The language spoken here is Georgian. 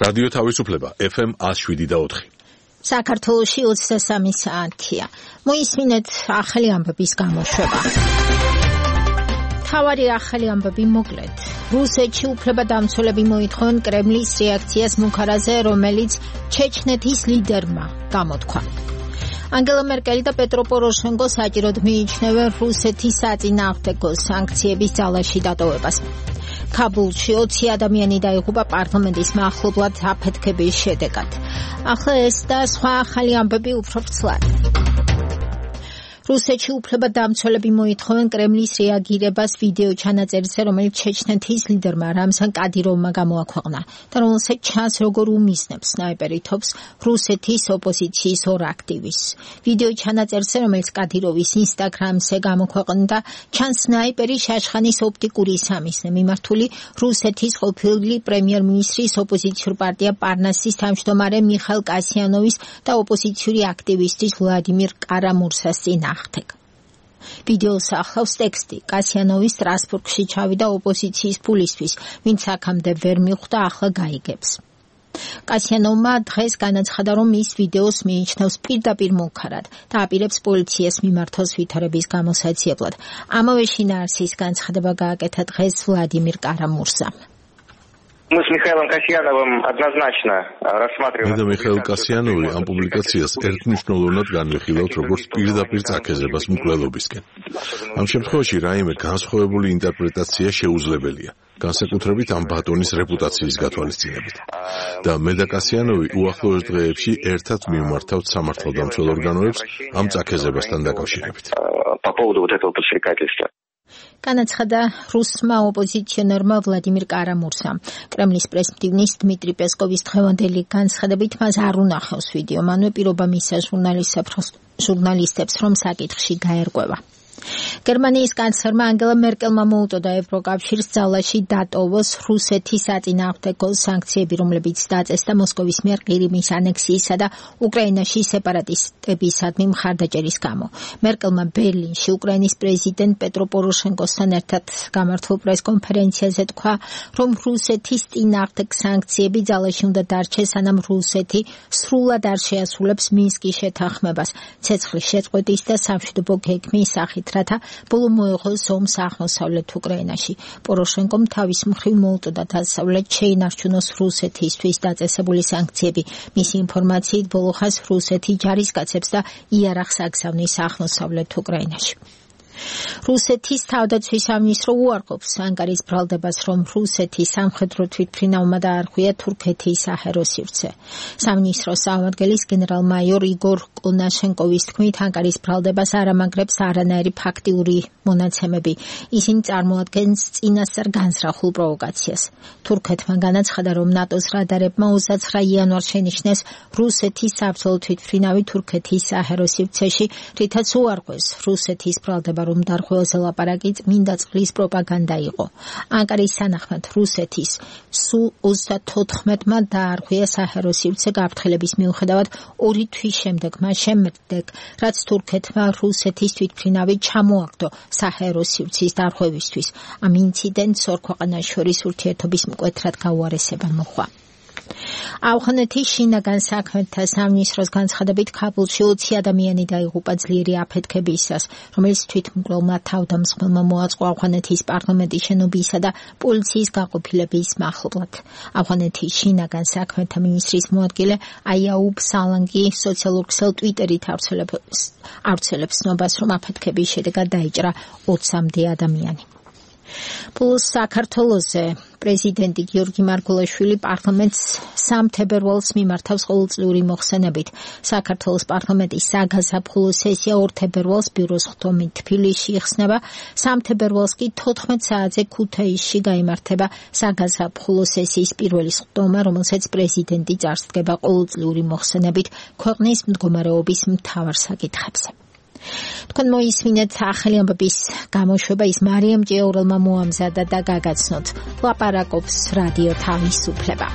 რადიო თავისუფლება FM 107.4. საქართველოში 23 საათია. მოისმინეთ ახალი ამბების გამოშვება. თავარი ახალი ამბები მოკლედ. რუსეთში უფლებადამცველები მოითხოვენ კრემლის რეაქციას მუქარაზე, რომელიც ჩეჩნეთის ლიდერმა გამოთქვა. ანგელა მერკელი და პეტრო პოროშენკო საჭიროდ მიიჩნევენ რუსეთის საწინააღმდეგო სანქციების ძალაში დატოვებას. ქაბულში 20 ადამიანი დაიღუპა პარლამენტის მახლობლად აფეთქების შედეგად. ახლა ეს და სხვა ახალი ამბები უფრო ვრცლად. რუსეთში უფლებადამცველები მოითხოვენ კრემლის რეაგირებას ვიდეო ჩანაწერზე, რომელიც ჩეჩნეთის ლიდერმა რამზან კადიროვმა გამოაქვეყნა და რომელსაც ჩანს როგორ უმისნებს სნაიპერი თოფს რუსეთის ოპოზიციის ორ აქტივისტს. ვიდეო ჩანაწერზე, რომელიც კადიროვის ინსტაგრამზე გამოქვეყნდა, ჩანს სნაიპერი შაშხანის ოპტიკური სამიზნე მიმართული რუსეთის ყოფილი პრემიერ-მინისტრის ოპოზიციურ პარტია პარნასის თავმჯდომარე მიხაილ კასიანოვის და ოპოზიციური აქტივისტის ვლადიმირ კარამურსას წინააღმდეგ. ვიდეოს ახლავს ტექსტი. კასიანოვი სტრასბურგში ჩავიდა ოპოზიციის ფულისთვის, ვინც აქამდე ვერ მიხვდა, ახლა გაიგებს. კასიანოვმა დღეს განაცხადა, რომ ის ვიდეოს მიიჩნევს პირდაპირ მუქარად და აპირებს პოლიციას მიმართოს ვითარების გამოსაძიებლად. ამავე შინაარსის განცხადება გააკეთა დღეს ვლადიმირ კარამურსამ. Мы с Михаилом Касьяновым однозначно рассматриваем. და მიხაილ კასიანოვი ამ პუბლიკაციას ერთმნიშვნელოვნად განვიხილავთ როგორც პირდაპირ წაქეზებას მკვლელობისკენ. ამ შემთხვევაში რაიმე განსხვავებული ინტერპრეტაცია შეუძლებელია, განსაკუთრებით ამ ბატონის რეპუტაციის გათვალისწინებით. და მე და კასიანოვი უახლოეს დღეებში ერთად მივმართავთ სამართალდამცველ ორგანოებს ამ წაქეზებასთან დაკავშირებით. По поводу вот этого подстрекательства. განაცხადა რუსმა ოპოზიციონერმა ვლადიმირ კარამურსამ. კრემლის პრესმდივნის დმიტრი პესკოვის დღევანდელი განცხადებით მას არ უნახავს ვიდეო, მანვე პირობა მისცა ჟურნალისტებს, რომ საკითხში გაერკვევა. გერმანიის კანცლერმა ანგელა მერკელმა მოუწოდა ევროკავშირს ძალაში დატოვოს რუსეთის საწინააღმდეგო სანქციები, რომლებიც დაწესდა მოსკოვის მიერ ყირიმის ანექსიისა და უკრაინაში სეპარატისტებისადმი მხარდაჭერის გამო. მერკელმა ბერლინში უკრაინის პრეზიდენტ პეტრო პოროშენკოსთან ერთად გამართულ პრესკონფერენციაზე თქვა, რომ რუსეთის წინააღმდეგ სანქციები ძალაში უნდა დარჩეს, სანამ რუსეთი სრულად არ შეასრულებს მინსკის შეთანხმებას, ცეცხლის შეწყვეტის და სამშვიდობო გეგმის სახით, რათა ბოლო მოეღოს ომს აღმოსავლეთ უკრაინაში. პოროშენკომ თავის მხრივ მოუწოდა დასავლეთ შეინარჩუნოს რუსეთისთვის დაწესებული სანქციები. მისი ინფორმაციით ბოლო ხანს რუსეთი ჯარისკაცებს და იარაღს აგზავნის აღმოსავლეთ უკრაინაში. რუსეთის თავდაცვის სამინისტრო უარყოფს ანკარის ბრალდებას, რომ რუსეთის სამხედრო თვითმფრინავმა დაარღვია თურქეთის საჰაერო სივრცე. სამინისტროს წარმომადგენლის გენერალ-მაიორ იგორ კონაშენკოვის თქმით, ანკარის ბრალდებას არ ამაგრებს არანაირი ფაქტიური მონაცემები. ისინი წარმოადგენს წინასწარ განზრახულ პროვოკაციას. თურქეთმა განაცხადა, რომ ნატოს რადარებმა 29 იანვარს შენიშნეს რუსეთის საბრძოლო თვითმფრინავი თურქეთის საჰაერო სივრცეში, რითაც უარყვეს რუსეთის ბრალდება, რომ დარღვევაზე ლაპარაკი წმინდა წყლის პროპაგანდა იყო. ანკარის თანახმად რუსეთის სულ 34-მა დაარღვია საჰაერო სივრცე გაფრთხილების მიუხედავად 2 თვის შემდეგ, მას შემდეგ, რაც თურქეთმა რუსეთის თვითმფრინავი ჩამოაგდო საჰაერო სივრცის დარღვევისთვის. ამ ინციდენტს ორ ქვეყანას შორის ურთიერთობის მკვეთრად გაუარესება მოჰყვა. ავღანეთის შინაგან საქმეთა სამინისტროს განცხადებით ქაბულში 20 ადამიანი დაიღუპა ძლიერი აფეთქებისას, რომელიც თვითმკვლელმა თავდამსხმელმა მოაწყო ავღანეთის პარლამენტის შენობისა და პოლიციის გაყოფილების მახლობლად. ავღანეთის შინაგან საქმეთა მინისტრის მოადგილე აიაუბ სალანგი სოციალურ ქსელ ტვიტერით ავრცელებს ცნობას, რომ აფეთქების შედეგად დაიჭრა 20-მდე ადამიანი. Plus საქართველოზე პრეზიდენტი გიორგი მარგველაშვილი პარლამენტს 3 თებერვალს მიმართავს ყოველწლიური მოხსენებით. საქართველოს პარლამენტის საგაზაფხულო სესია 2 თებერვალს ბიუროს ხდომით თბილისში იხსნება, 3 თებერვალს კი 14 საათზე ქუთაისში გაიმართება საგაზაფხულო სესიის პირველი ხდომა, რომელსაც პრეზიდენტი წარსდგება ყოველწლიური მოხსენებით ქვეყნის მდგომარეობის მთავარ საკითხებზე. თქვენ მოისმინეთ ახალი ამბების გამოშვება, ის მარიამ ჭიაურელმა მოამზადა და გაგაცნოთ. ლაპარაკობს რადიო თავისუფლება.